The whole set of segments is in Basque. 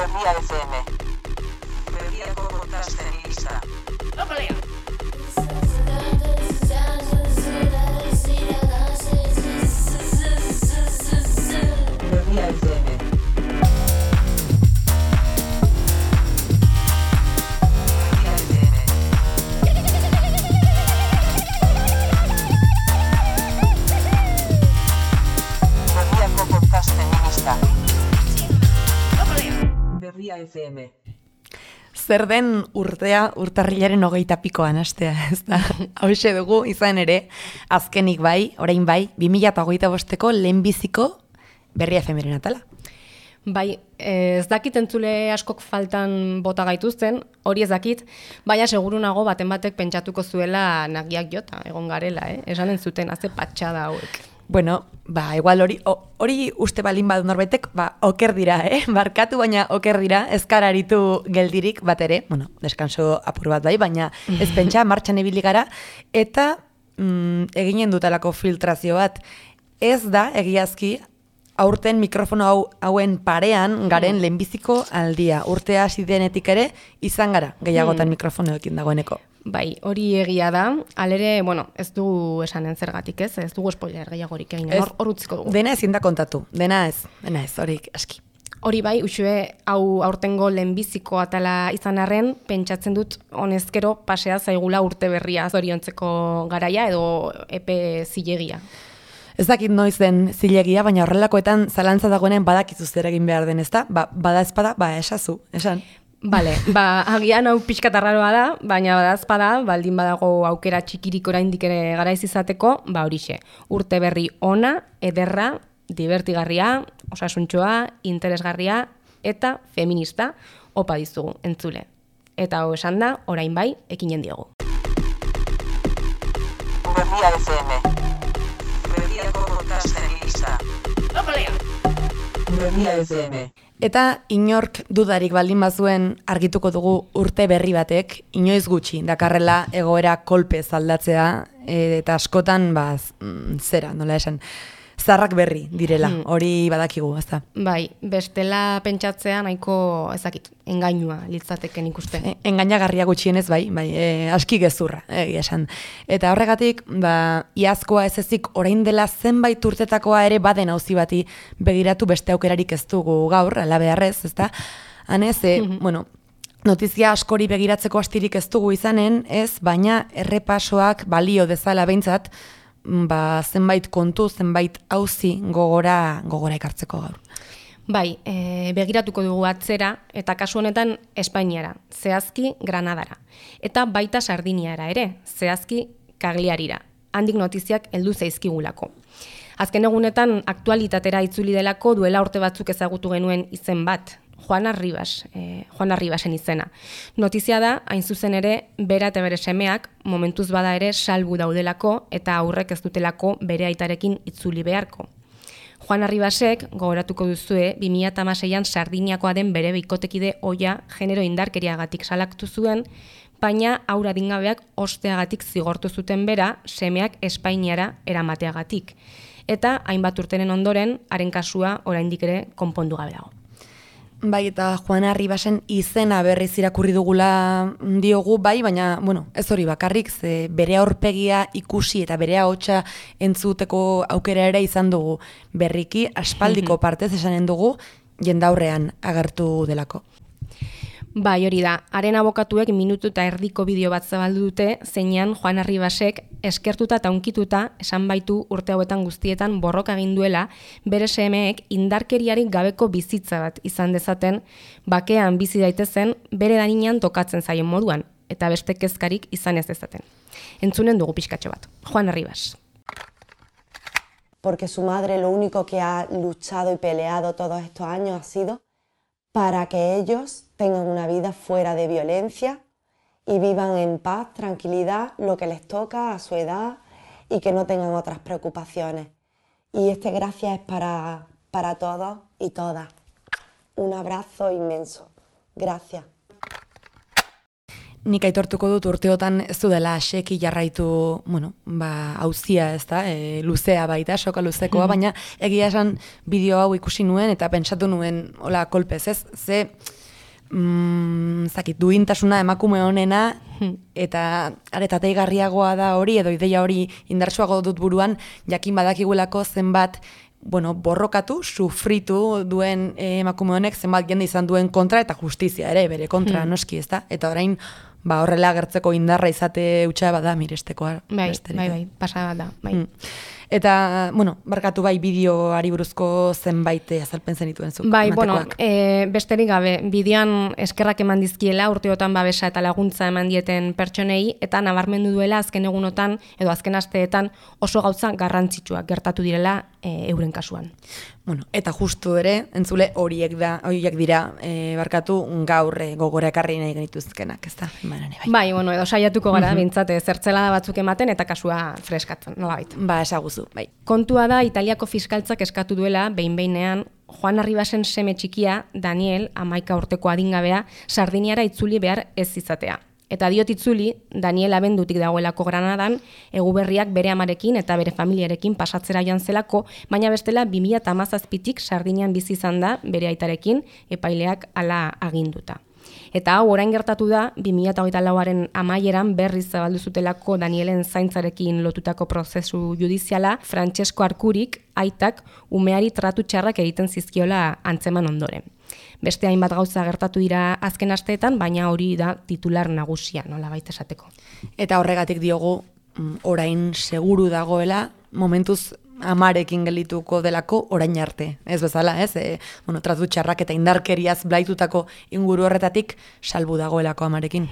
Berria FM. Berriako podcasten lista. Berria FM. Berriako podcasten lista. Berria FM. Zer den urtarrilaren 20 hastea, ez da? Hauxe dugu, izan ere, azkenik bai, orain bai, 2025ko lehenbiziko Berria FM-ren atala. Bai, ez dakit entzule askok faltan bota gaituzten, hori ez dakit, baina seguru nago baten batek pentsatuko zuela nagiak jota, egon garela, esanen zuten, haze patxada hauek. Bueno, igual hori uste balin badu norbaitek, oker dira, barkatu baina oker dira, ez kararitu geldirik bat ere, bueno, deskanso apur bat bai, baina ez pentsa, martxan ibili gara, eta eginen dutalako filtrazio bat, ez da egiazki, aurten mikrofono hauen parean garen lehenbiziko aldia. Urtea hasi denetik ere, izan gara, gehiagotan mikrofonoekin dagoeneko. Bai, hori egia da, alere, bueno, ez dugu esanen zergatik ez dugu spoiler gehiagorik egin, hor utziko dugu. Dena ezin da kontatu, dena ez, horik aski. Hori bai, usue, hau aurtengo lehenbiziko atala izan arren, pentsatzen dut honezkero pasea zaigula urte berria zoriontzeko garaia edo epe zilegia. Ez dakit noiz den zilegia, baina horrelakoetan zalantza dagoenen badakizu zer egin behar den, ezta? Bada espada, esazu, esan. Bale, agian hau pixkat arraroa da, baina badazpada, baldin badago aukera txikirik oraindik ere garaiz izateko, horixe, urte berri ona, ederra, divertigarria, osasuntxoa, interesgarria eta feminista, opa dizugu, entzule. Eta hau esan da, orain bai, ekinen diogu. Berria FM. Berriako podcasten lista. Berria FM. Eta inork dudarik baldin bazuen argituko dugu urte berri batek, inoiz gutxi, dakarrela egoera kolpez aldatzea, eta askotan, zera, nola esan, zarrak berri direla, hori badakigu, ez da? Bai, bestela pentsatzea nahiko ezakit, engainua litzateken ikuste. Engainagarria gutxienez, bai, aski gezurra, esan. Eta horregatik, iazkoa ez ezik orain dela zenbait urtetakoa ere baden auzi bati begiratu beste aukerarik ez dugu gaur, ala beharrez, ez da? Hanez, bueno, notizia askori begiratzeko astirik ez dugu izanen, ez, baina errepasoak balio dezala behintzat, zenbait kontu, zenbait auzi gogora ekartzeko gaur. Bai, begiratuko dugu atzera, eta kasu honetan Espainiara, zehazki Granadara. Eta baita Sardiniara ere, zehazki Cagliarira. Handik notiziak heldu zaizkigulako. Azken egunetan aktualitatera itzuli delako duela urte batzuk ezagutu genuen izen bat, Juana Ribasen izena. Notizia da, hain zuzen ere, bera eta bere semeak, momentuz bada ere salbu daudelako eta aurrek ez dutelako bere aitarekin itzuli beharko. Juana Ribasek, gogoratuko duzue, 2016an Sardiniakoa den bere bikotekide oia genero indarkeriagatik salaktu zuen, baina aurra dingabeak osteagatik zigortu zuten bera, semeak Espainiara eramateagatik. Eta hainbat urtenen ondoren, haren kasua oraindik ere konpondu gabe dago. Bai, eta Juana Ribasen izena berriz irakurri dugula diogu, bai, baina, bueno, ez hori bakarrik, ze bere aurpegia ikusi eta bere ahotsa entzuteko aukera ere izan dugu berriki, aspaldiko partez esanen dugu, jendaurrean agertu delako. Bai, hori da, haren abokatuek minutu eta erdiko bideo bat zabaldu dute, zeinan Juana Ribasek eskertuta eta unkituta esan baitu urte hauetan guztietan borroka egin duela, bere semeek indarkeriarik gabeko bizitza bat izan dezaten, bakean bizi daitezen, bere daninan tokatzen zaien moduan, eta beste kezkarik izan ez dezaten. Entzunen dugu pixkatxo bat. Juana Ribas. Porque su madre lo único que ha luchado y peleado todos estos años ha sido para que ellos tengan una vida fuera de violencia y vivan en paz, tranquilidad, lo que les toca a su edad y que no tengan otras preocupaciones. Y este gracias es para todos y todas. Un abrazo inmenso. Gracias. nik aitortuko dut urteotan ez dudala seki jarraitu, auzia, ez da, luzea baita, soka luzekoa, baina egia esan bideo hau ikusi nuen eta pentsatu nuen, hola, kolpez, ez? Ze, duintasuna emakume honena, eta aretateigarriagoa da hori, edo ideia hori indartsuago dut buruan, jakin badakigulako zenbat, borrokatu, sufritu duen emakume honek zenbat jende izan duen kontra eta justizia ere, bere kontra noski, ez da? Eta orain, horrela agertzeko indarra izate utxa bada mirestekoa. Bai, pasa bat da, bai. Eta, barkatu bai bideoari buruzko zenbait azalpen zenituen zuk. Bai, besterik gabe, bideoan eskerrak eman dizkiela, urteotan babesa eta laguntza eman dieten pertsonei, eta nabarmendu duela azken egunotan, edo azken asteetan oso gauza garrantzitsuak gertatu direla euren kasuan. Eta justu ere, entzule horiek dira, barkatu gaur gogora ekarri nahi genituzkenak, ez da? Bai, edo saiatuko gara, bintzate, zertzelada batzuk ematen eta kasua freskatzen, nolabait. Esaguzu, bai. Kontua da, Italiako fiskaltzak eskatu duela, behin-behinean, Juan Arribasen seme txikia, Daniel, 11 urteko adingabea, Sardiniara itzuli behar ez izatea. Eta diot itzuli, Daniel abendutik dagoelako Granadan, Eguberriak bere amarekin eta bere familiarekin pasatzera joan zelako, baina bestela 2017tik Sardinian bizi izan da bere aitarekin, epaileak hala aginduta. Eta hau orain gertatu da 2024aren amaieran berriz zabaldu zutelako Danielen zaintzarekin lotutako prozesu judiziala, Francesco Arkurik aitak umeari tratu txarrak egiten zizkiola antzeman ondoren. Beste hainbat gauza gertatu dira azken asteetan, baina hori da titular nagusia, nolabait esateko. Eta horregatik diogu orain seguru dagoela, momentuz amarekin gelituko delako orain arte. Ez bezala, ez? Tratu txarrak eta indarkeriaz blaitutako inguru horretatik salbu dagoelako amarekin.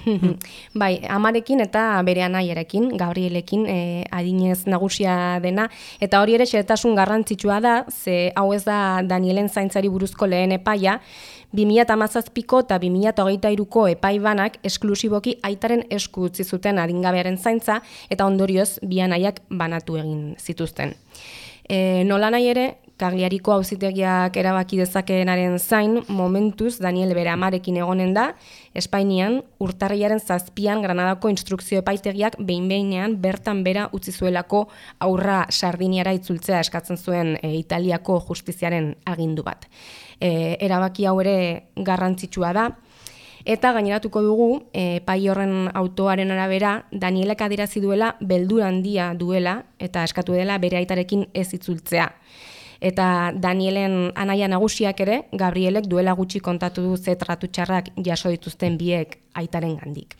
Bai, amarekin eta bere anaiarekin, Gabrielekin adinez nagusia dena, eta hori ere xehetasun garrantzitsua da, ze hau ez da Danielen zaintzari buruzko lehen epaia, 2017ko eta 2023ko epai banak esklusiboki aitaren esku utzi zuten adingabearen zaintza eta ondorioz bi anaiak banatu egin zituzten. Nola nahi ere, Cagliariko auzitegiak erabaki dezakeenaren zain, momentuz Daniel bere amarekin egonen da, Espainian urtarrilaren 7an Granadako instrukzio epaitegiak behin-behinean bertan bera utzi zuelako aurra Sardiniara itzultzea eskatzen zuen Italiako justiziaren agindu bat. Erabaki hau ere garrantzitsua da, eta gaineratuko dugu, epai horren autoaren arabera, Danielek adierazi duela beldur handia duela eta eskatu dela bere aitarekin ez itzultzea. Eta Danielen anaia nagusiak ere, Gabrielek duela gutxi kontatu du ze tratu txarrak jaso dituzten biek aitaren gandik.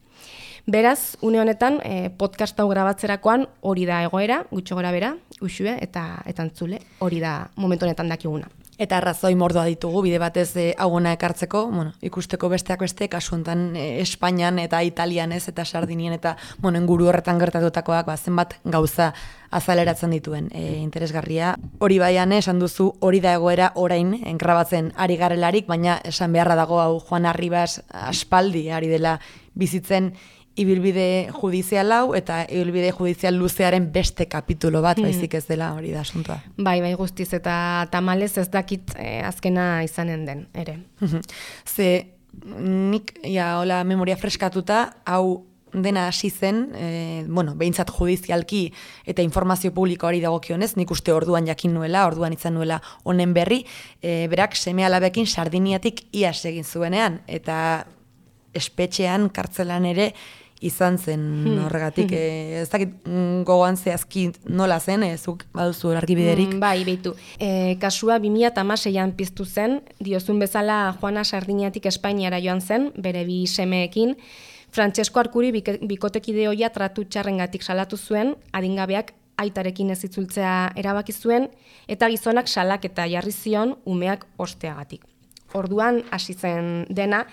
Beraz, une honetan, podcast hau grabatzerakoan hori da egoera, gutxo gora bera, Uxue eta entzule, hori da momentu honetan dakiguna. Eta arrazoi mordoa ditugu, bide batez hauona ekartzeko, ikusteko besteak beste, kasu honetan Espainian eta Italian ez, eta Sardinien eta inguru horretan gertatutakoak zenbat gauza azaleratzen dituen interesgarria. Hori baian esan duzu, hori da egoera orain engrabatzen ari garelarik, baina esan beharra dago hau Juan Arribas aspaldi ari dela bizitzen ibilbide judizial hau eta ibilbide judizial luzearen beste kapitulo bat baizik ez dela hori da asuntoa. Bai, guztiz eta tamalez ez dakit azkena izanen den, ere. Ze nik, hola memoria freskatuta, hau dena hasi zen, behintzat judizialki eta informazio publikoari dagokionez, nik uste orduan jakin nuela, orduan izan nuela honen berri, berak seme-alabekin Sardiniatik iaz egin zuenean, eta espetxean, kartzelan ere, izan zen horregatik. Ez dakit gogoan zehazki nola zen, zuk baduzu argibiderik? Bai, behitu. Kasua 2016an piztu zen, diozun bezala Juana Sardiniatik Espainiara joan zen, bere bi semeekin. Francesco Arkuri bikotekide hoia tratu txarrengatik salatu zuen, adingabeak aitarekin ez itzultzea erabaki zuen, eta gizonak salak eta jarri zion umeak osteagatik. Orduan hasi zen dena,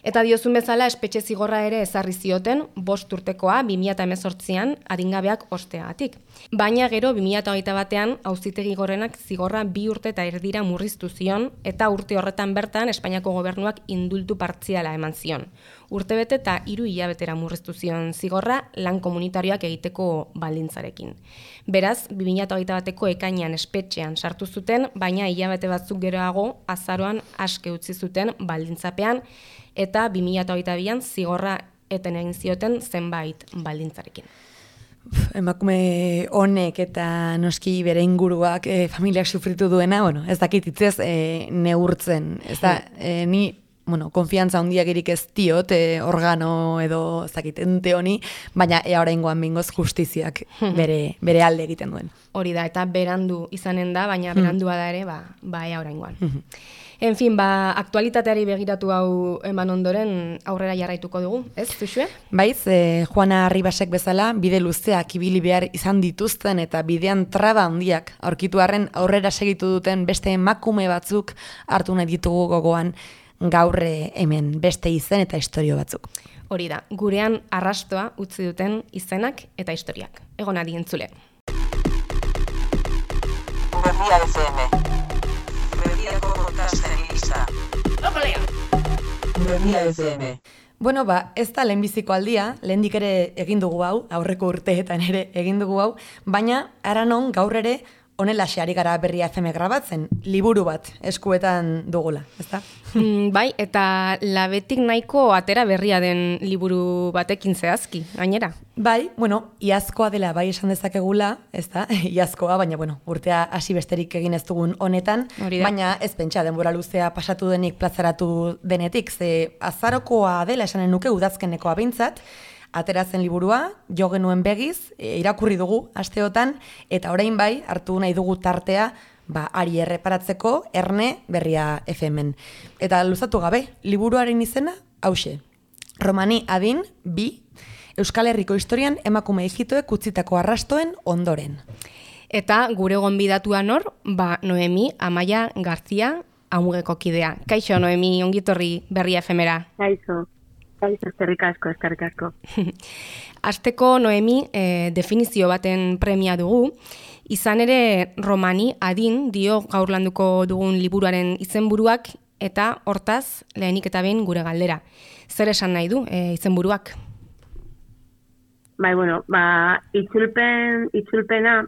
eta diozun bezala espetxe zigorra ere ezarri zioten 5 urtekoa 2018an adingabeak osteagatik. Baina gero 2021an auzitegi gorenak zigorra 2 urte eta erdira murriztu zion eta urte horretan bertan Espainiako gobernuak indultu partziala eman zion. Urtebete eta 3 hilabetera murriztu zion zigorra lan komunitarioak egiteko baldintzarekin. Beraz, 2021ko ekainean espetxean sartu zuten, baina hilabete batzuk geroago azaroan aske utzi zuten baldintzapean, eta 2022an zigorra eten egin zioten zenbait baldintzarekin. Emakume honek eta noski bere inguruak familiak sufritu duena, ez dakit hitzez neurtzen, ez da, ni konfiantza handiagirik ez diot organo edo ez dakit ente honi, baina oraingoan behingoz justiziak bere alde egiten duen. Hori da, eta berandu izanen da, baina berandua da ere, ea oraingoan. En fin, aktualitateari begiratu hau eman ondoren aurrera jarraituko dugu, ez, Zuxue? Baiz, Juana Arribasek bezala, bide luzeak ibili behar izan dituzten eta bidean traba handiak aurkitu arren aurrera segitu duten beste emakume batzuk hartu nahi ditugu gogoan gaur hemen beste izen eta istorio batzuk. Hori da, gurean arrastoa utzi duten izenak eta historiak. Egon adi entzule. Berria FM. Berriako podcast feminista. Berria FM. Bueno, ez da lehenbiziko aldia, lehendik ere egin dugu hau, aurreko urteetan ere egin dugu hau, baina aranon gaur ere honelaxe ari gara Berria FM grabatzen, liburu bat eskuetan dugula, ezta? Bai, eta labetik nahiko atera berria den liburu batekin zehazki, gainera. Bai, iazkoa dela bai esan dezakegula, ezta? Iazkoa, baina urtea hasi besterik egin ez dugun honetan, baina ez pentsa denbora luzea pasatu denik plazaratu denetik, ze azarokoa dela esanen nuke udazkenekoa behintzat, ateratzen liburua, jo genuen begiz, irakurri dugu asteotan, eta orain bai, hartu nahi dugu tartea, ari erreparatzeko Erne Berria FM-en. Eta luzatu gabe, liburuaren izena, hauxe. Romani adin, 2, Euskal Herriko historian emakume ijitoek utzitako arrastoen ondoren. Eta gure gonbidatua nor, Noemi Amaia Garzia Amugeko kidea. Kaixo, Noemi, ongitorri Berria FM-era. Kaixo. Eskerrik asko. Hasteko Noemi definizio baten premia dugu, izan ere Romani adin dio gaur landuko dugun liburuaren izenburuak eta hortaz lehenik eta behin gure galdera. Zer esan nahi du izenburuak? Bai, itzulpena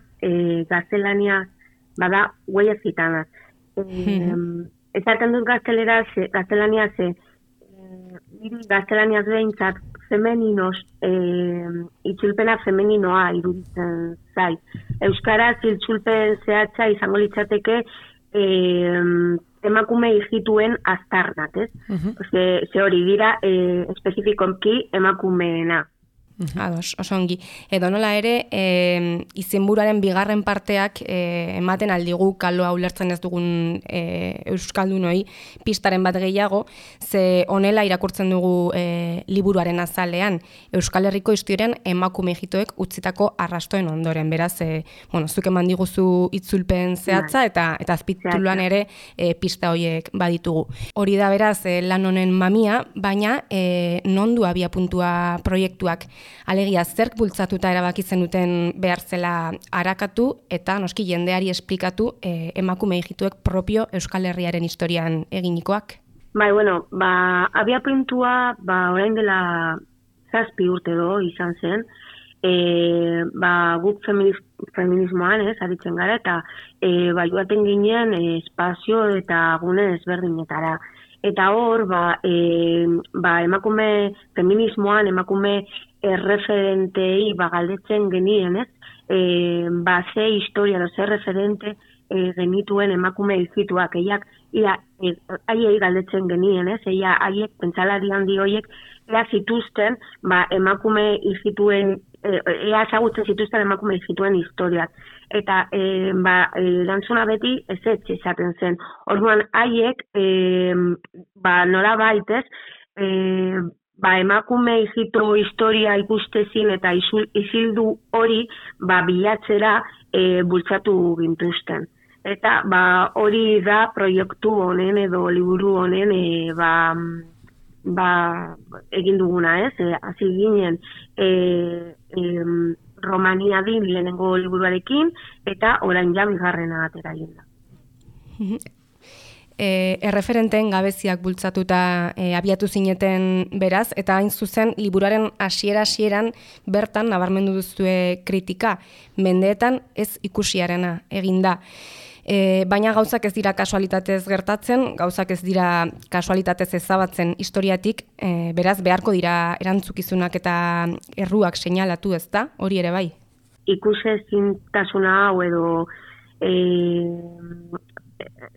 gaztelania bada huellas gitanas. Esaten dut gaztelania ze gaztelaniaz behintzat femeninos, itzulpena femeninoa iruditzen zait. Euskaraz itzulpen zehatza izango litzateke emakume ijituen aztarnak, ez? Ze hori dira espezifikoki emakumeena. Ados, oso ongi. Edo nola ere, izenburuaren bigarren parteak ematen aldigu kaloa ulertzen ez dugun euskaldunoi pistaren bat gehiago, ze honela irakurtzen dugu liburuaren azalean, Euskal Herriko historian emakume ijitoek utzitako arrastoen ondoren. Beraz, zuk eman diguzu itzulpen zehatza eta azpituluan ere pista horiek baditugu. Hori da beraz lan honen mamia, baina non du abiapuntua proiektuak? Alegia, zerk bultzatuta erabaki zenuten behar zela arakatu eta noski jendeari esplikatu emakume ijituek propio Euskal Herriaren historian eginikoak? Bai, abiapuntua orain dela 7 urte izan zen, guk feminismoan aritzen gara eta joaten ginen espazio eta gune ezberdinetara. Eta hor, emakume feminismoan, emakume erreferentei galdetzen genien, ez? Ze historia, ze referente genituen emakume ijituak, haiei galdetzen genien, ez? Haiek, pentsalari handi horiek, zituzten, emakume ijituen, ezagutzen zituzten emakume ijituen historiak. Eta, erantzuna beti ez esaten zen. Orduan, haiek, nola baitez, emakume ijitu historia ikustezin eta isildu hori bilatzera bultzatu gintuzten. Eta hori da proiektu honen edo liburu honen egin duguna, ez? Hasi ginen Romania din lehenengo liburuarekin eta orain ja bigarrena atera egin da. Erreferenteen gabeziak bultzatuta abiatu zineten beraz, eta hain zuzen liburuaren hasieran bertan nabarmendu duzue kritika, mendeetan ez ikusiarena eginda. Baina gauzak ez dira kasualitatez gertatzen, gauzak ez dira kasualitatez ezabatzen historiatik, beraz beharko dira erantzukizunak eta erruak seinalatu, ez da? Hori ere bai? Ikusezintasuna hau edo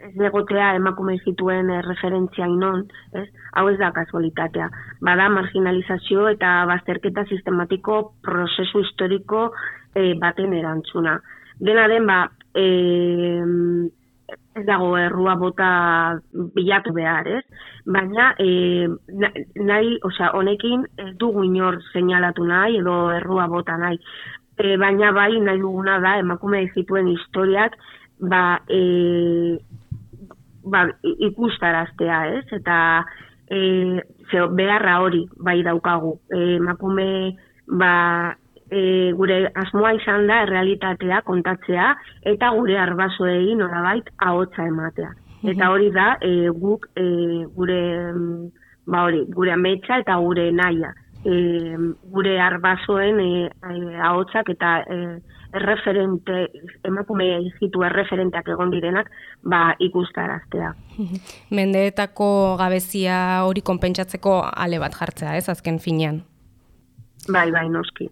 ez egotea emakume zituen referentzia inon, ez? Hau ez da kasualitatea. Bada marginalizazio eta bazterketa sistematiko prozesu historiko baten erantzuna. Dena den, ez dago errua bota bilatu behar, ez? Baina honekin ez dugu inor seinalatu nahi edo errua bota nahi. Baina bai nahi duguna da emakume zituen historiak ikustaraztea, ez? Eta beharra hori bai daukagu. Emakume gure asmoa izan da errealitatea kontatzea eta gure arbasoei nolabait ahotsa ematea. Eta hori da guk gure ametsa eta gure nahia. Gure arbasoen ahotsak eta emakume zitu erreferenteak egon direnak ikustaraztea. Mendeetako gabezia hori konpentsatzeko ale bat jartzea, ez, azken finean? Bai, noski.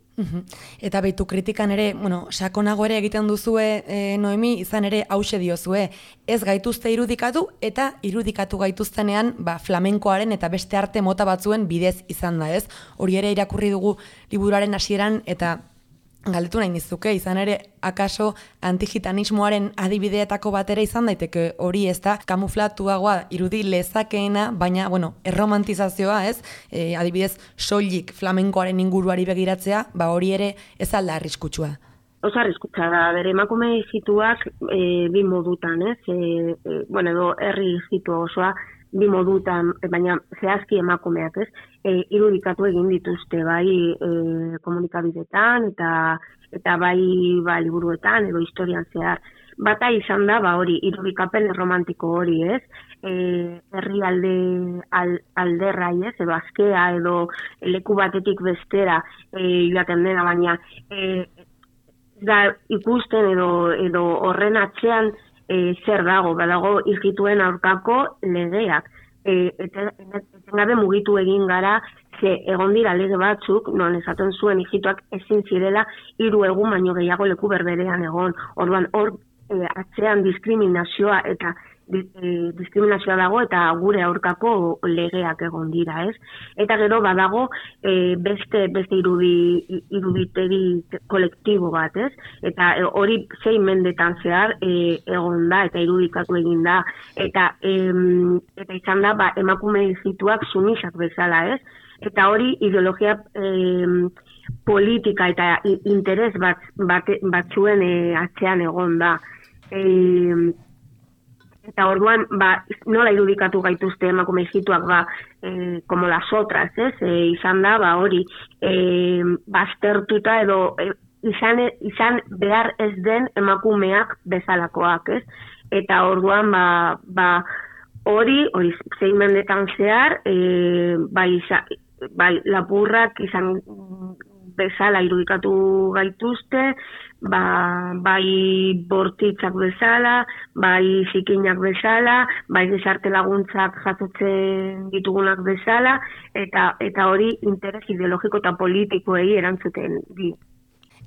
Eta beitu kritikan ere, sakonago ere egiten duzue, Noemi, izan ere hause diozue, ez gaituzte irudikatu eta irudikatu gaituztenean flamenkoaren eta beste arte mota batzuen bidez izan da, ez? Hori ere irakurri dugu liburuaren hasieran eta galdetu nahi nizuke, izan ere akaso antigitanismoaren adibideetako bat ere izan daiteke hori, ez da kamuflatuagoa irudi lezakeena, baina, erromantizazioa, ez? Adibidez, soilik flamenkoaren inguruari begiratzea, hori ere ez alda arriskutsua. Oso arriskutsua da, bere emakume izituak bi modutan, ez? Edo herri izitu osoa bi modutan, baina zehazki emakumeak, ez? Irudikatu egin dituzte, bai komunikabideetan eta bai liburuetan edo historian zehar. Bata izan da, hori, irudikapen romantiko hori, ez? Herri alderrai, ez? Edo askea, edo leku batetik bestera joaten dena, baina da ikusten edo horren atzean zer dago, badago ijituen aurkako legeak. Etengabe mugitu egin gara, egon dira lege batzuk, non esaten zuen ijituak ezin zirela 3 egun baino gehiago leku berberean egon. Orduan, hor atzean diskriminazioa dago eta gure aurkako legeak egon dira, ez? Eta gero badago beste iruditegi kolektibo bat, ez? Eta hori 6 mendetan zehar egon da eta irudikatu egin da eta izan da emakume izituak sumisak bezala, ez? Eta hori ideologia politika eta interes batzuen atzean egon da. Eta orduan, nola irudikatu gaituzte emakume izituak, como las otras, ez? Izan da, hori, baztertuta edo izan behar ez den emakumeak bezalakoak, ez? Eta orduan, hori 6 mendetan zehar, lapurrak izan bezala irudikatu gaituzte, bai bortitzak bezala, bai zikinak bezala, bai gizarte laguntzak jasotzen ditugunak bezala, eta hori interes ideologiko eta politikoei erantzuten di.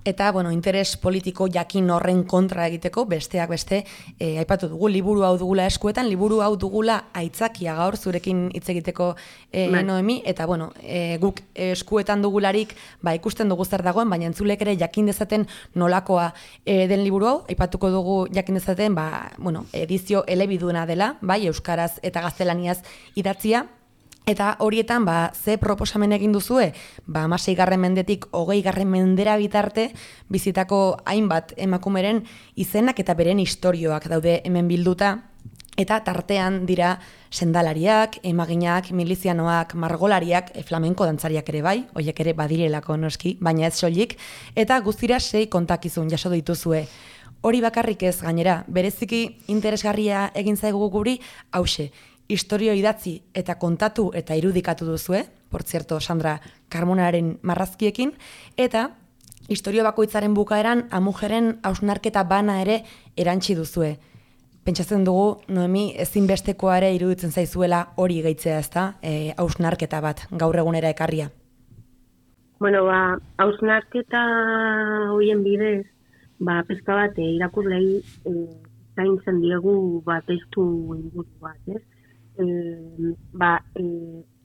Eta, interes politiko jakin horren kontra egiteko, besteak beste, aipatu dugu, liburu hau dugula eskuetan, liburu hau dugula aitzakia gaur zurekin hitz egiteko Noemi, eta, guk eskuetan dugularik, ikusten dugu zer dagoen, baina entzulek ere jakin dezaten nolakoa den liburu hau, aipatuko dugu jakin dezaten, edizio elebiduna dela, euskaraz eta gaztelaniaz idatzia, eta horietan, ze proposamen egin duzue? 16. mendetik 20. mendera bitarte bizitako hainbat emakumeren izenak eta beren istorioak daude hemen bilduta, eta tartean dira sendalariak, emaginak, milizianoak, margolariak, flamenko dantzariak ere bai, horiek ere badirelako noski, baina ez soilik, eta guztira 6 kontakizun jaso dituzue. Hori bakarrik ez gainera, bereziki interesgarria egin zaigu guri, hause, historio idatzi eta kontatu eta irudikatu duzue, por cierto, Sandra Carmonaren marrazkiekin, eta historio bakoitzaren bukaeran amujeren hausnarketa bana ere erantsi duzue. pentsatzen dugu, Noemi, ezinbestekoa ere iruditzen zaizuela hori gehitzea, ezta? Hausnarketa bat, gaur egunera ekarria. Bueno, hausnarketa hoien bidez, pizka bat irakurlei zaintzen diegu testu inguru bat, ez?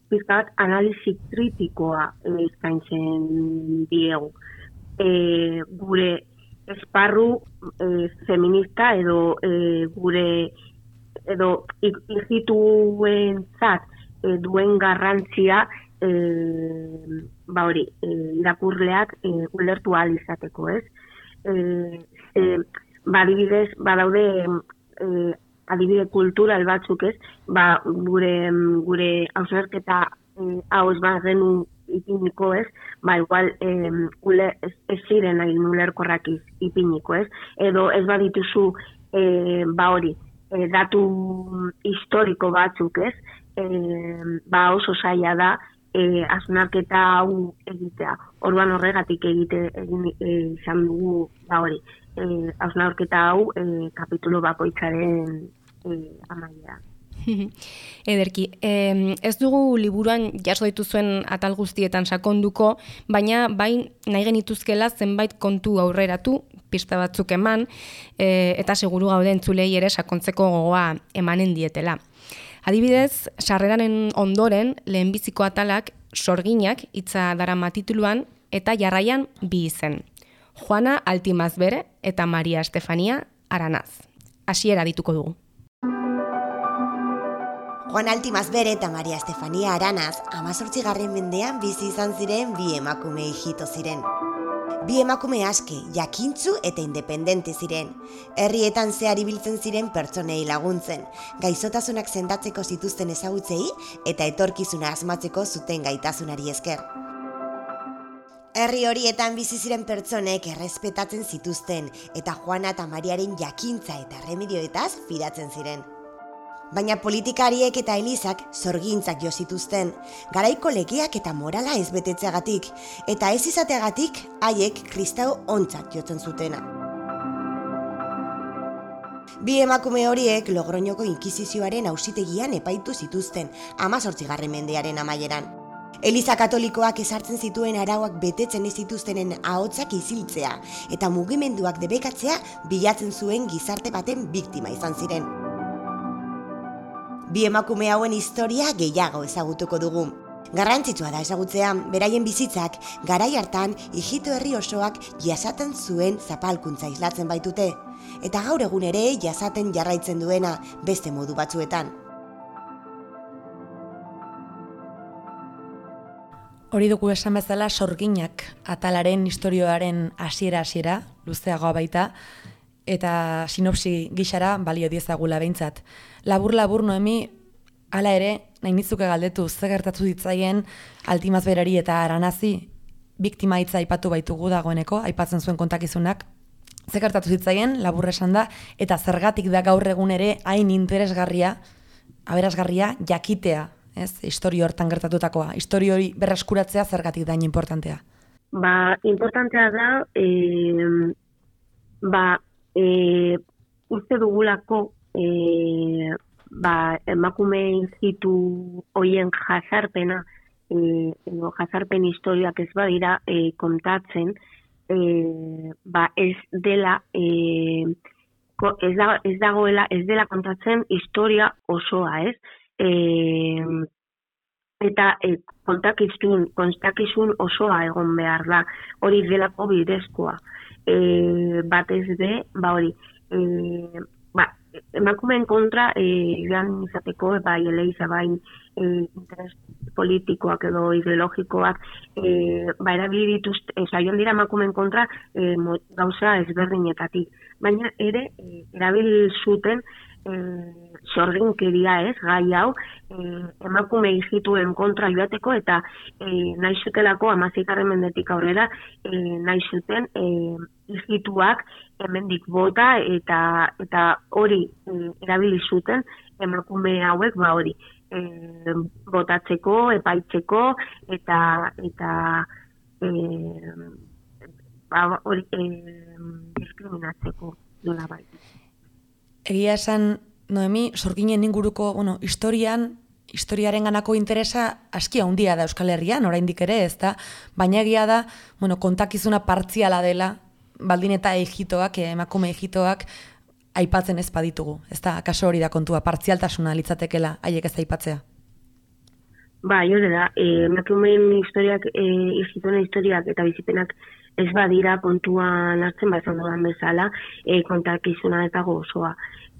Pizka bat analisi kritikoa zaintzen diegu. Gure esparru feminista edo gure edo ijituentzat duen garrantzia irakurleak ulertu ahal izateko, ez? Adibidez, badaude adibide kultural batzuk, ez? Gure hausnarketa hau ez bagenu ipiniko, ez? Igual ez ziren egin ulerkorrak ipiniko, ez? Edo ez badituzu datu historiko batzuk, ez? Oso zaila da hausnarketa hau egitea. Orduan horregatik egin izan dugu hausnarketa hau kapitulu bakoitzaren amaiera. Ederki, ez dugu liburuan jaso dituzuen atal guztietan sakonduko, baina bain nahi genituzkela zenbait kontu aurreratu, pista batzuk eman, eta seguru gaude entzulei ere sakontzeko gogoa emanen dietela. Adibidez, sarreraren ondoren lehenbiziko atalak Sorginak hitza darama tituluan eta jarraian bi izen. Juana Altimazbere eta Maria Estefania Aranaz. Hasiera dituko dugu. Juana Altimazbere eta Maria Estefania Aranaz 18. mendean bizi izan ziren bi emakume hijito ziren. Bi emakume aske, jakintsu eta independente ziren. Herrietan zehar ibiltzen ziren pertsonei laguntzen, gaixotasunak sendatzeko zituzten ezagutzei eta etorkizuna asmatzeko zuten gaitasunari esker. Herri horietan bizi ziren pertsonek errespetatzen zituzten eta Juana eta Mariaren jakintza eta remedioetaz fidatzen ziren. Baina politikariek eta elizak sorgintzak jo zituzten, garaiko legeak eta morala ez betetzeagatik, eta ez izateagatik haiek kristau ontzat jotzen zutena. Bi emakume horiek Logroñoko inkisizioaren auzitegian epaitu zituzten 18. mendearen amaieran. Eliza katolikoak ezartzen zituen arauak betetzen ez zituztenen ahotsak isiltzea eta mugimenduak debekatzea bilatzen zuen gizarte baten biktima izan ziren. Bi emakume hauen historia gehiago ezagutuko dugu. Garrantzitsua da ezagutzea, beraien bizitzak garai hartan ijito herri osoak jasaten zuen zapalkuntza islatzen baitute, eta gaur egun ere jasaten jarraitzen duena beste modu batzuetan. Hori dugu esan bezala Sorginak atalaren historioaren hasiera luzeagoa baita, eta sinopsi gixara balio diezagula behintzat. Labur Noemi, hala ere, nahi nitzuke galdetu, ze gertatu ditzaien Altimazberari eta Aranazi, biktima hitza aipatu baitugu dagoeneko, aipatzen zuen kontakizunak, ze gertatu zitzaien, labur esan da, eta zergatik da gaur egun ere hain interesgarria, aberasgarria, jakitea, ez, historio hortan gertatutakoa, historio hori berreskuratzea zergatik da hain importantea. Importantea da, uste dugulako emakume hijitu hoien jazarpena edo jazarpen historiak ez badira kontatzen, ez dela ez dela kontatzen historia osoa, ez? Eta kontakizun osoa egon behar da, hori delako bidezkoa. Batez be, hori, emakumeen kontra joan izateko, eleiza bain interes politikoak edo ideologikoak erabili dituzte, joan dira emakumeen kontra gauza ezberdinetatik. Baina ere, erabili zuten sorginkeria, ez, gai hau, emakume hijituen kontra joateko eta nahi zutelako 16. mendetik aurrera nahi zuten hijituak hemendik bota eta hori erabili zuten emakume hauek hori botatzeko, epaitzeko eta hori diskriminatzeko nola bai. Egia esan, Noemi, sorginen inguruko, historiaren ganako interesa aski handia da Euskal Herrian, oraindik ere, ez da, baina egia da, kontakizuna partziala dela, baldin eta emakume ejitoak, aipatzen ez baditugu, ez da, kaso hori da kontua, partzialtasuna litzatekela, haiek ez aipatzea. Bai, hori da, emakumeen historiak, ejitoen historiak eta bizipenak ez badira kontuan hartzen bazan dudan bezala, kontakizuna eta gozoa.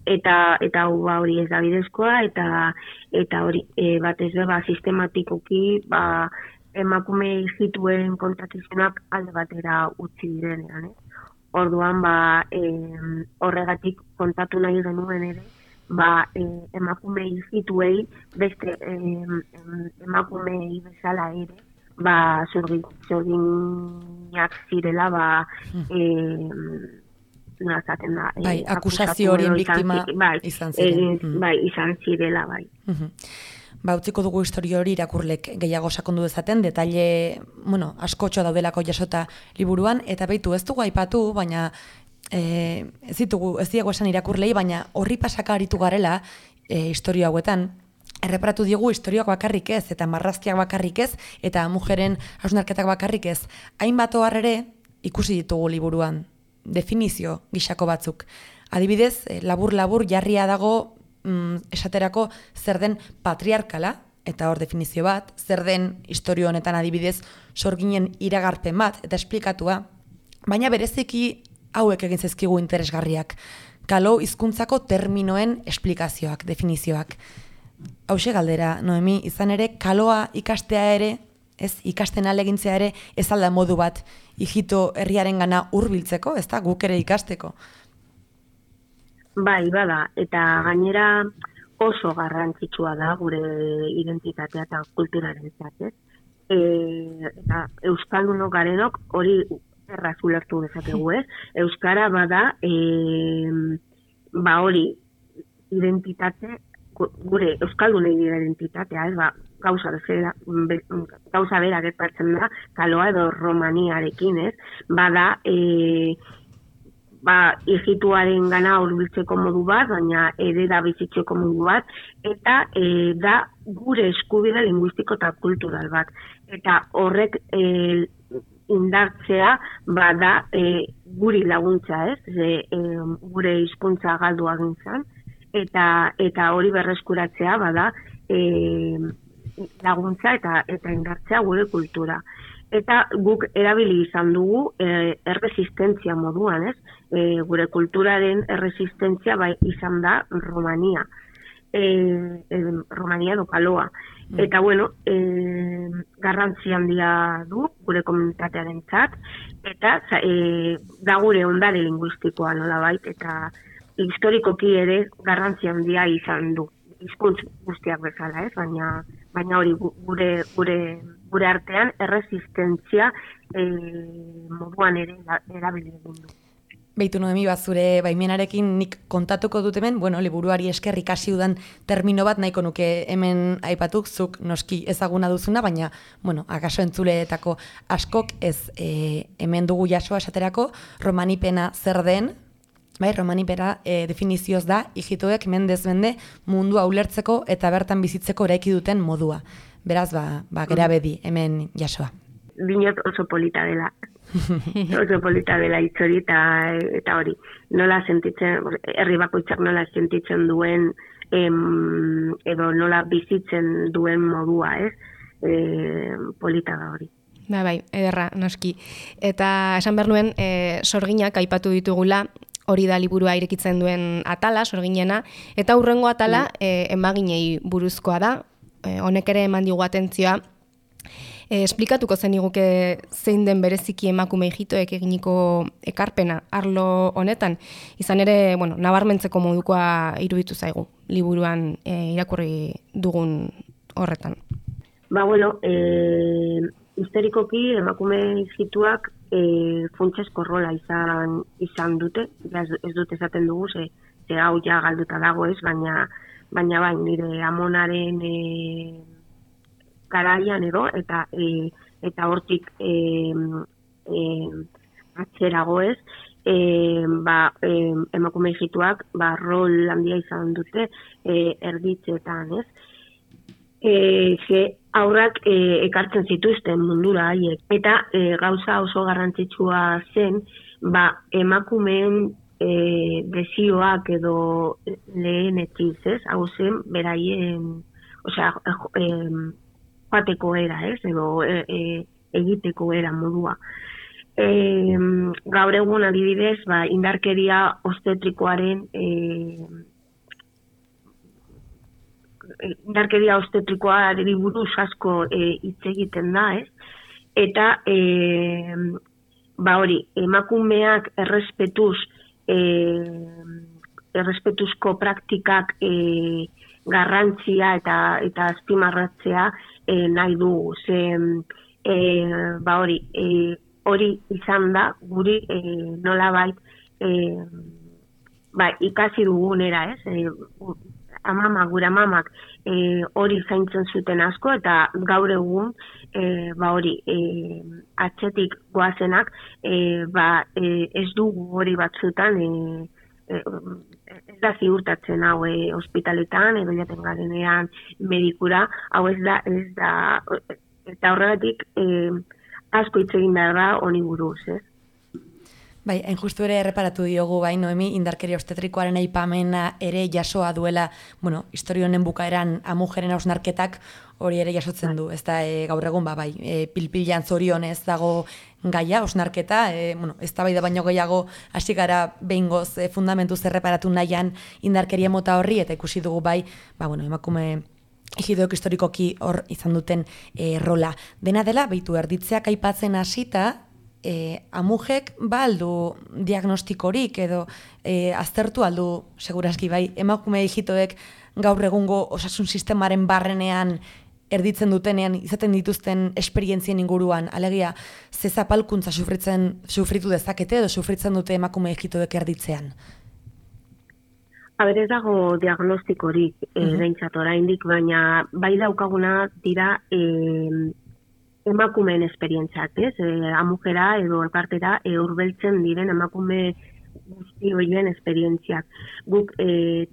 Eta hori ez da bidezkoa, eta hori batez beba sistematikoki emakume ejituen kontakizunak alde batera utzi direnean. Orduan, horregatik kontatu nahi genuen ere, emakume ejituei, beste emakumei bezala ere, zorginak zirela, zaten da, akusazio horien biktima izan ziren. Izan zirela, bai. Utziko dugu historio hori irakurlek gehiago sakondu dezaten, detaile, askotxo daudelako jasota liburuan, eta beitu ez dugu aipatu, baina ez diego esan irakurlei, baina horri pasaka aritu garela historio hauetan, erreparatu diogu historioak bakarrik ez, eta marrazkiak bakarrik ez, eta mujeren hausnarketak bakarrik ez. Hainbat ohar ere ikusi ditugu liburuan, definizio gixako batzuk. Adibidez, labur-labur jarria dago esaterako zer den patriarkala, eta hor definizio bat, zer den historio honetan adibidez sorginen iragarpen bat, eta esplikatua, baina bereziki hauek egin zaizkigu interesgarriak. Kalo hizkuntzako terminoen esplikazioak, definizioak. Hauxe galdera, Noemi, izan ere, kaloa ikastea ere, ikasten alegintzea ere, ez alda modu bat, ijito herriaren gana hurbiltzeko, ez da, guk ere ikasteko. Bai, bada, eta gainera oso garrantzitsua da gure identitatea eta kulturaren zatez. Eta euskaldunok garenok hori erraz ulertu dezakegu, ez? Euskara bada, hori identitate, gure euskaldunei identitatea, ez, gauza bera gertatzen da, kaloa edo romaniarekin, ez? Bada, ijituaren gana hurbiltzeko modu bat, baina ere da bizitzeko modu bat, eta da gure eskubide linguistiko eta kultural bat. Eta horrek indartzea bada guri laguntza, ez? Gure hizkuntza galdu agintzan, eta hori berreskuratzea bada laguntza eta indartzea gure kultura. Eta guk erabili izan dugu erresistentzia moduan, ez? Gure kulturaren erresistentzia izan da Romania. Romania edo kaloa. Eta garrantzi handia du gure komunitatearen txat, eta da gure ondare linguistikoa nolabait, eta historikoki ere garrantzi handia izan du. Hizkuntz guztiak bezala, ez? Baina hori gure artean erresistentzia moduan ere erabili egin du. Beitu Noemi, zure baimenarekin nik kontatuko dut hemen, liburuari esker ikasi udan termino bat nahiko nuke hemen aipatuk, zuk noski ezaguna duzuna, baina, akaso entzuleetako askok ez hemen dugu jasoa esaterako, romanipena zer den, romanipera definizioz da, ijitoek mendez mende mundua ulertzeko eta bertan bizitzeko eraiki duten modua. Beraz, gera bedi hemen jasoa. Dinot oso polita dela. Oso polita dela hitzori eta hori. Nola sentitzen, herri bakoitzak nola sentitzen duen edo nola bizitzen duen modua, ez? Polita da hori. Bai, ederra, noski. Eta esan behar nuen, sorginak aipatu ditugula, hori da liburua irekitzen duen atala, sorginena, eta hurrengo atala emaginei buruzkoa da, honek ere eman digu atentzioa. Esplikatuko zeniguke zein den bereziki emakume ijitoek eginiko ekarpena arlo honetan, izan ere, nabarmentzeko modukoa iruditu zaigu, liburuan irakurri dugun horretan. Historikoki emakume ijituak funtsezko rola izan dute, ez dut esaten dugu, ze hau ja galduta dago ez, baina bai, nire amonaren garaian edo, eta hortik atzerago ez, emakume ijituak rol handia izan dute erditzetan, ez? Ze aurrak ekartzen zituzten mundura haiek. Eta gauza oso garrantzitsua zen, emakumeen desioak edo lehenetiz, ez? Hau zen, beraien, joateko era, ez? Edo egiteko era modua. Gaur egun adibidez, indarkeria obstetrikoari buruz asko hitz egiten da, ez? Eta emakumeak errespetuzko praktikak garrantzia eta azpimarratzea nahi dugu. Hori izan da guri nolabait ikasi dugunera, ez? Gure amamak hori zaintzen zuten asko, eta gaur egun atzetik goazenak ez dugu hori batzutan ez da ziurtatzen hau ospitaletan edo jaten garenean medikura, hau ez da eta horregatik asko hitz egin behar da honi buruz, ez? Bai, hain justu ere erreparatu diogu, Noemi, indarkeria obstetrikoaren aipamena ere jasoa duela, historia honen bukaeran amujeren hausnarketak hori ere jasotzen du, ez da gaur egun, pilpilan zorionez dago gaia, hausnarketa, ez da baino gehiago hasi gara behingoz fundamentuz erreparatu nahian indarkeria mota horri, eta ikusi dugu emakume egidoek historikoki hor izan duten rola. Dena dela, beitu erditzeak aipatzen hasita, amujek aldu diagnostikorik edo aztertu aldu seguraski emakume ejitoek gaur egungo osasun sistemaren barrenean erditzen dutenean izaten dituzten esperientzien inguruan, alegia ze zapalkuntza sufritu dezakete edo sufritzen dute emakume ejitoek erditzean? Ez dago diagnostikorik behintzat oraindik, baina bai daukaguna dira emakumeen esperientzak, ez? Amujera edo elkartera hurbiltzen diren emakume guzti horien esperientziak. Guk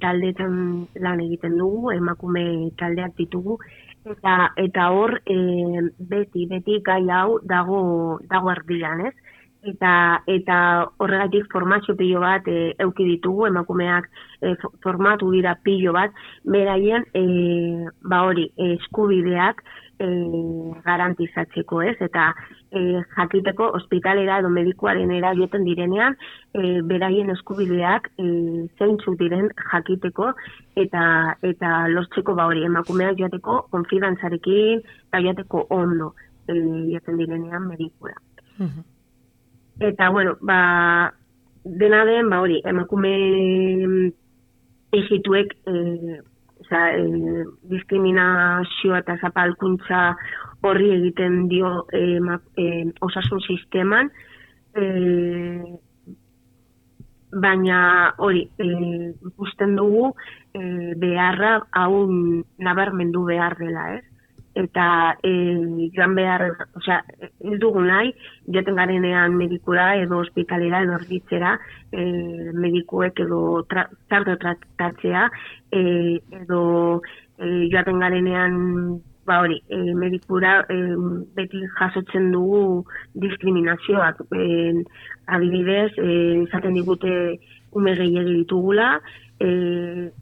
taldeetan lan egiten dugu, emakume taldeak ditugu, eta hor beti gai hau dago erdian, ez? Eta horregatik formazio pilo bat eduki ditugu, emakumeak formatu dira pilo bat, beraien eskubideak garantizatzeko, ez? Eta jakiteko ospitalera edo medikuaren joeten direnean, beraien eskubideak zeintzuk diren jakiteko eta lortzeko emakumeak joateko konfidantzarekin eta joateko ondo joeten direnean medikura. Eta, dena den, emakume ejituek diskriminazioa eta zapalkuntza horri egiten dio osasun sisteman, baina hori ikusten dugu beharra hau nabarmendu behar dela, ez? Eta joan behar, ez dugu nahi, joaten garenean medikura edo ospitalera edo erditzera medikuek edo tratatzea edo joaten garenean medikura beti jasotzen dugu diskriminazioak. Adibidez, izaten digute ume gehiegi ditugula,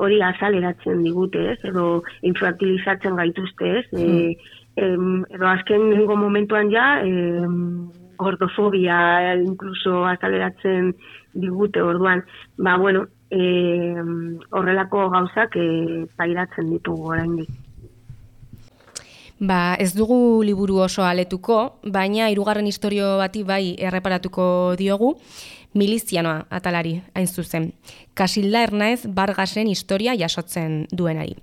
hori azaleratzen digute, ez? Edo infantilizatzen gaituzte, ez? Edo azken nengo momentuan gordofobia incluso azaleratzen digute orduan. Horrelako gauzak pairatzen ditugu oraindik. Ez dugu liburu oso aletuko, baina hirugarren istorio bati bai erreparatuko diogu, milizianoa atalari, hain zuzen. Kasilda Ernaez Bargasen historia jasotzen duenari.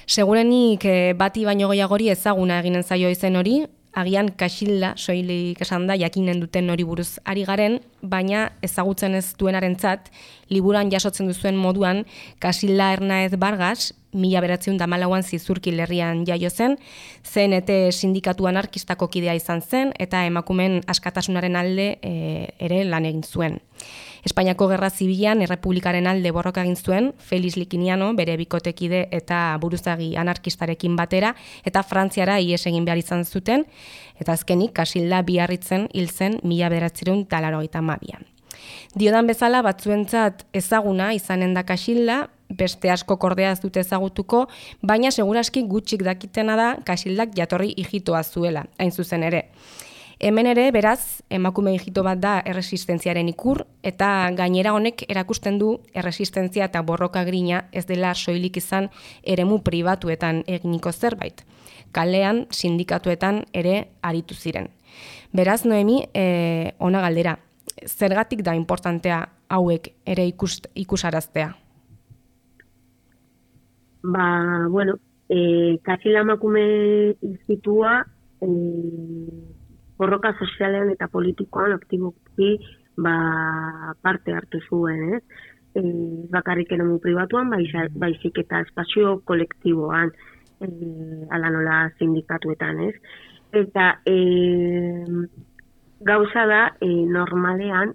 Segurenik bati baino gehiagori ezaguna eginen zaio izen hori, agian Kasilda soilik esan da jakinen duten hori buruz ari garen, baina ezagutzen ez duenarentzat, liburuan jasotzen duzuen moduan, Casilda Hernáez Vargas, 1914an Zizurkil herrian jaio zen, CNT sindikatu anarkistako kidea izan zen, eta emakumeen askatasunaren alde ere lan egin zuen. Espainiako Gerra Zibilan Errepublikaren alde borroka egin zuen, Felix Likiniano, bere bikotekide eta buruzagi anarkistarekin batera, eta Frantziara ihes egin behar izan zuten, eta azkenik Casilda Biarritzen hil zen 1982an. Diodan bezala batzuentzat ezaguna izanen da Casilda, beste asko kordea ez dute ezagutuko, baina seguraski gutxik dakitena da Casildak jatorri ijitoa zuela, hain zuzen ere. Hemen ere, beraz, emakume ijito bat da erresistentziaren ikur, eta gainera honek erakusten du erresistentzia eta borroka grina ez dela soilik izan eremu pribatuetan eginiko zerbait. Kalean, sindikatuetan ere aritu ziren. Beraz, Noemi, ona galdera, zergatik da importantea hauek ere ikusaraztea? Casilda emakume ijitua borroka sozialean eta politikoan aktiboki parte hartu zuen, bakarrik eremu pribatuan, baizik eta espazio kolektiboan, ala nola sindikatuetan, Eta gauza da, normalean,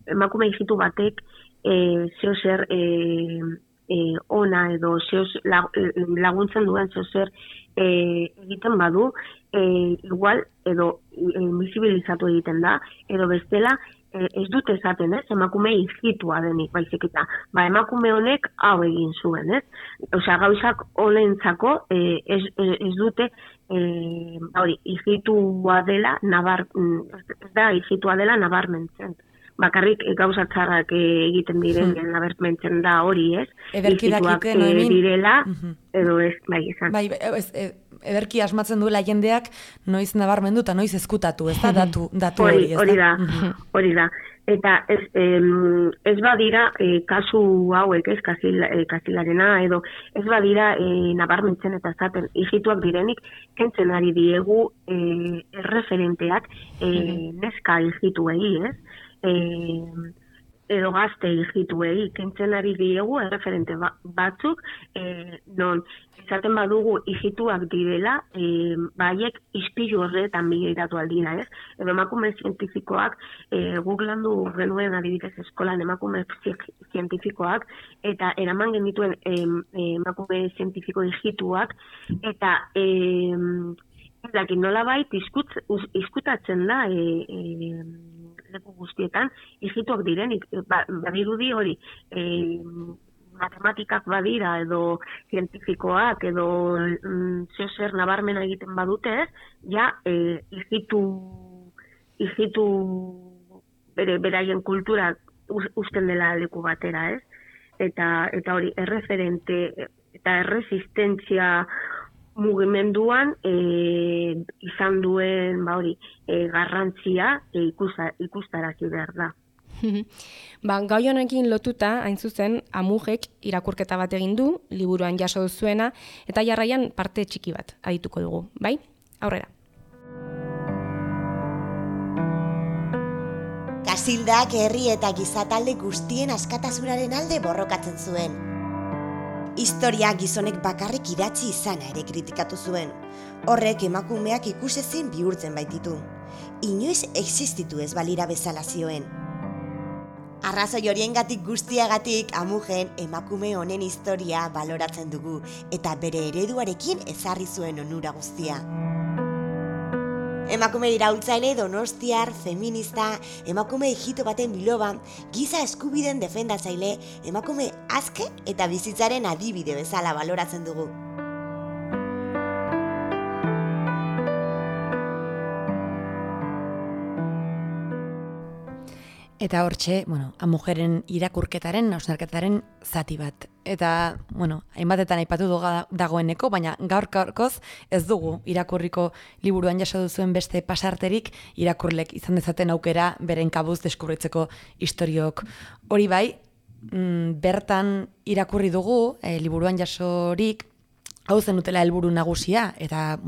emakume ijitu batek zeozer ona edo laguntzen duen zeozer egiten badu, igual edo invisibilizatu egiten da, edo bestela ez dute esaten, emakume ijitua denik, baizik eta, emakume honek hau egin zuen, Osea, gauzak honentzako ez dute ijitua dela nabarmentzen. Bakarrik gauza txarrak egiten diren nabarmentzen da hori, Ederki dakite, Noemin. Direla, edo ez, izan. Ederki asmatzen duela jendeak noiz nabarmendu eta noiz ezkutatu, ez da datu hori, ez da? Hori da. Eta ez badira kasu hauek, Casildarena, edo ez badira nabarmentzen eta zaten ijituak direnik, kentzen ari diegu erreferenteak neska ijituei, edo gazte ijituei, kentzen ari diegu erreferente batzuk, non izaten badugu ijituak direla, baiek ispilu horretan bigiratu aldira, edo emakume zientifikoak, Googlandu genuen adibidez eskolan emakume zientifikoak, eta eraman genituen emakume zientifiko ijituak, eta nolabait izkutatzen da leku guztietan ijituak direnik, badirudi hori matematikak badira edo zientifikoak edo zeozer nabarmena egiten badute, ja ijitu beraien kultura usten dela leku batera, eta hori erreferente eta erresistentzia mugimenduan izan duen garrantzia ikustarazi behar da. Gai honekin lotuta, hain zuzen, Amugek irakurketa bat egin du, liburuan jaso duzuena, eta jarraian parte txiki bat adituko dugu, bai? Aurrera. Casildak herri eta gizatalde guztien askatasunaren alde borrokatzen zuen. Historia gizonek bakarrik idatzi izana ere kritikatu zuen. Horrek emakumeak ikusezin bihurtzen baititu. Inoiz existitu ez balira bezala zioen. Arrazoi horiengatik guztiagatik Amugen emakume honen historia baloratzen dugu eta bere ereduarekin ezarri zuen onura guztia. Emakume iraultzaile, donostiar, feminista, emakume ijito baten biloba, giza eskubideen defendatzaile, emakume aske eta bizitzaren adibide bezala baloratzen dugu. Eta hortxe, Amugeren irakurketaren, hausnarketaren zati bat. Eta, hainbatetan aipatu dagoeneko, baina gaurkoz ez dugu irakurriko liburuan jaso duzuen beste pasarterik irakurlek izan dezaten aukera beren kabuz deskubritzeko historiok. Hori bai, bertan irakurri dugu, liburuan jasorik, hau zen dutela helburu nagusia, eta,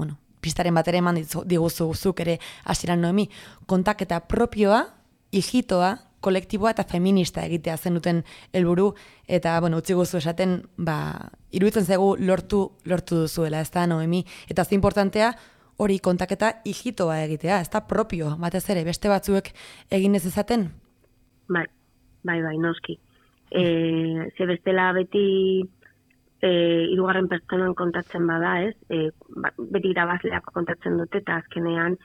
pistaren bat ere eman diguzuzuk ere hasieran Noemi, kontaketa propioa, hijitoa, kolektiboa eta feminista egitea zenuten helburu eta utzi guzu esaten, iruditzen zaigu lortu duzuela, ez da, Noemi? Eta ze importantea, hori kontaketa hijitoa egitea, ez da propio, batez ere, beste batzuek egin ez ezaten? Bai, noski. Ze bestela beti hirugarren pertsonan kontatzen bada, ez? Beti irabazleak kontatzen dute, eta azkenean,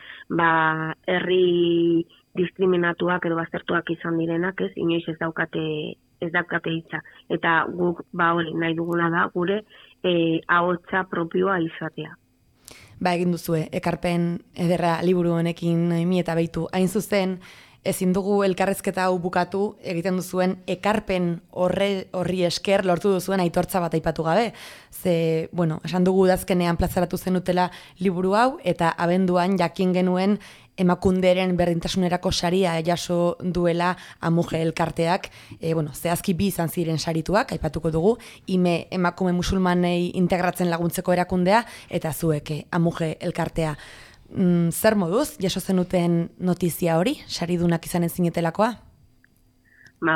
herri diskriminatuak edo baztertuak izan direnak, ez? Inoiz ez daukate hitza. Eta guk, hori, nahi duguna da, gure ahotsa propioa izatea. Egin duzue, ekarpen ederra liburu honekin, Noemi, eta beitu, hain zuzen, ezin dugu elkarrezketa hau bukatu, egiten duzuen ekarpen horri esker lortu duzuen aitortza bat aipatu gabe. Ze, esan dugu udazkenean plazaratu zenutela liburu hau, eta abenduan jakin genuen emakunderen berdintasunerako saria jaso duela Amuge elkarteak, zehazki 2 izan ziren sarituak, aipatuko dugu, ime emakume musulmanei integratzen laguntzeko erakundea, eta zuek Amuge elkartea. Zer moduz, jaso zenuten notizia hori, saridunak izanen zinetelakoa?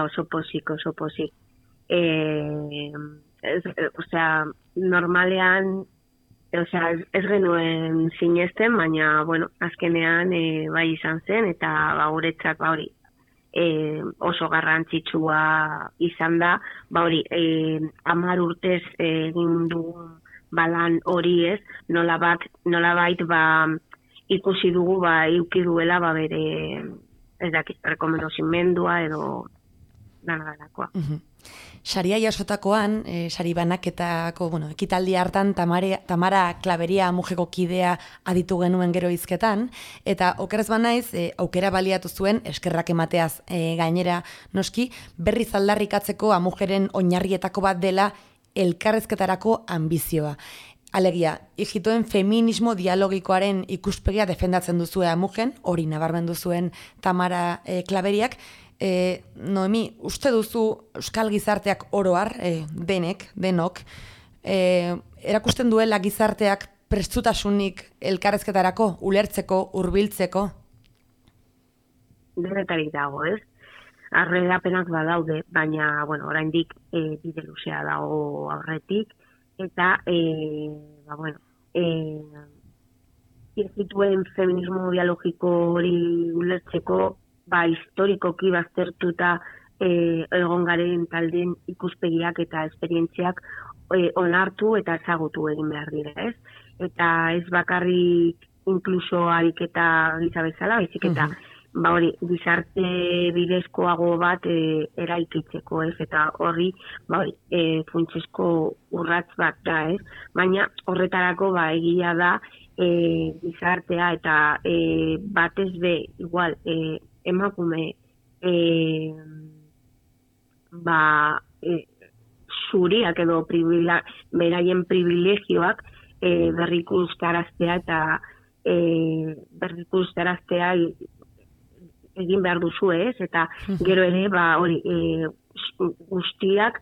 Oso pozik. Normalean, ez genuen sinesten, baina, azkenean bai izan zen, eta guretzat, oso garrantzitsua izan da, 10 urtez egin dugun balan hori ez, nolabait ikusi dugu eduki duela bere rekomendazimendua edo dalakoa. Saria jasotakoan, sari banaketako, ekitaldi hartan Tamara Klaberia Amugeko kidea aditu genuen gero hizketan, eta okerez banaiz, aukera baliatu zuen, eskerrak emateaz gainera noski, berriz aldarrikatzeko Amugeren oinarrietako bat dela elkarrezketarako ambizioa. Alegia, hijitoen feminismo dialogikoaren ikuspegia defendatzen duzue Amugen, hori nabarmendu zuen Tamara Klaberiak. Noemi, uste duzu euskal gizarteak oroar, denok, erakusten duela gizarteak prestutasunik elkarrezketarako, ulertzeko, hurbiltzeko? Denetarik dago, ez? Arrerapenak badaude, baina, oraindik bide luzea dago aurretik, eta, hijitoen feminismo dialogiko hori ulertzeko, historikoki baztertuta egon garen taldeen ikuspegiak eta esperientziak onartu eta ezagutu egin behar dira, ez? Eta ez bakarrik inkluso ariketa giza bezala, baizik eta gizarte bidezkoago bat eraikitzeko, ez? Eta horri funtsezko urrats bat da, ez? Baina horretarako egia da gizartea eta batez be igual emakume zuriak edo beraien privilegioak berrikustaraztea eta berrikustaraztea egin behar duzu, ez? Eta gero ere guztiak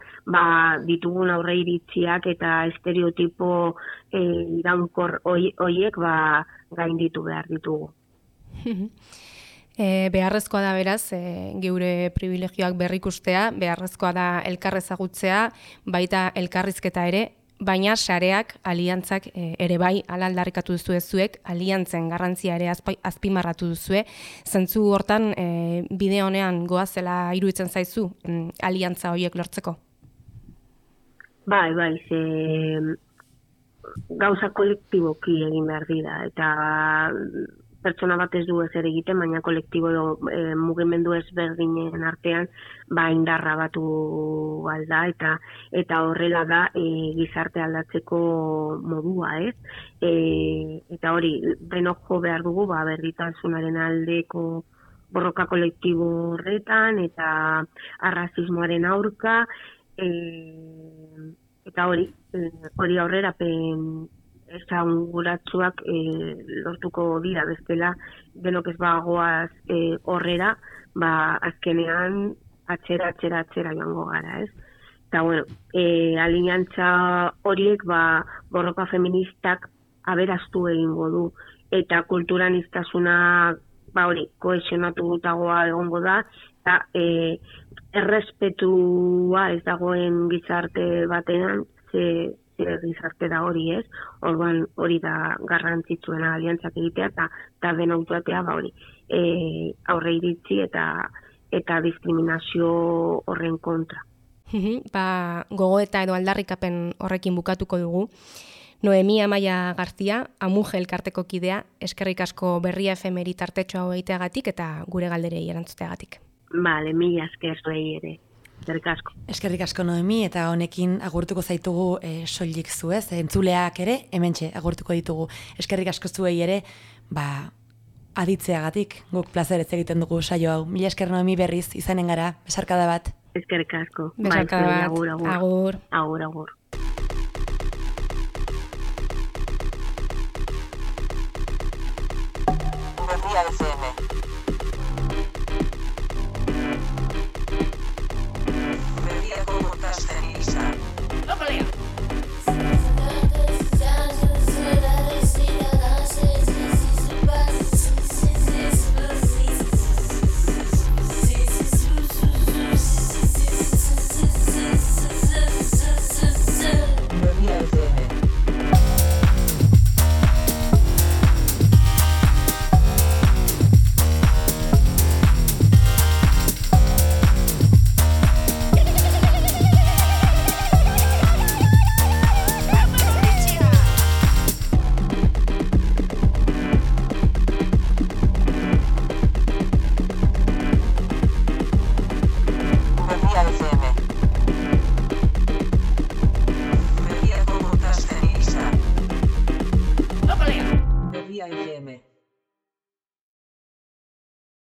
ditugun aurreiritziak eta estereotipo iraunkor horiek gainditu behar ditugu. Beharrezkoa da beraz, geure privilegioak berrikustea, beharrezkoa da elkarrezagutzea, baita elkarrizketa ere, baina sareak, aliantzak ere bai, ala aldarrikatu duzue zuek, aliantzen garrantzia ere azpimarratu duzue. Zentzu hortan, bide honean goazela iruditzen zaizu, aliantza horiek lortzeko? Bai, gauza kolektiboki egin behar dira, eta pertsona bat ez du ezer egiten, baina kolektibo mugimendu ezberdinen artean indarra batu alda, eta horrela da gizarte aldatzeko modua, ez? Eta hori, denok jo behar dugu, berdintasunaren aldeko borroka kolektibo horretan, eta arrazismoaren aurka, eta hori aurrerapen esanguratsuak lortuko dira, bestela denok ez bagoaz horrera, azkenean atzera joango gara, ez? Eta, aliantza horiek borroka feministak aberaztu egingo du, eta kulturaniztasuna hori, kohesionatutagoa egongo da, eta errespetua ez dagoen gizarte batean, ze gizarte da hori, ez? Orduan hori da garrantzitsuena aliantzak egitea eta den autoatea hori aurre iritzi eta diskriminazio horren kontra. Gogoeta edo aldarrikapen horrekin bukatuko dugu. Noemi Amaia Garzia, Amuge elkarteko kidea, eskerrik asko Berria FM-eri tartetxo hau egiteagatik eta gure galderei erantzuteagatik. Bale, mila esker zuei ere. Eskerrik asko. Eskerrik asko Noemi, eta honekin agurtuko zaitugu soilik zu, ez? Entzuleak ere, hementxe agurtuko ditugu. Eskerrik asko zuei ere, aditzeagatik, guk plazerez egiten dugu saio hau. Mila esker Noemi berriz, izanen gara, besarkada bat. Eskerrik asko. Besarkada bat. Agur. Agur. Berria FM.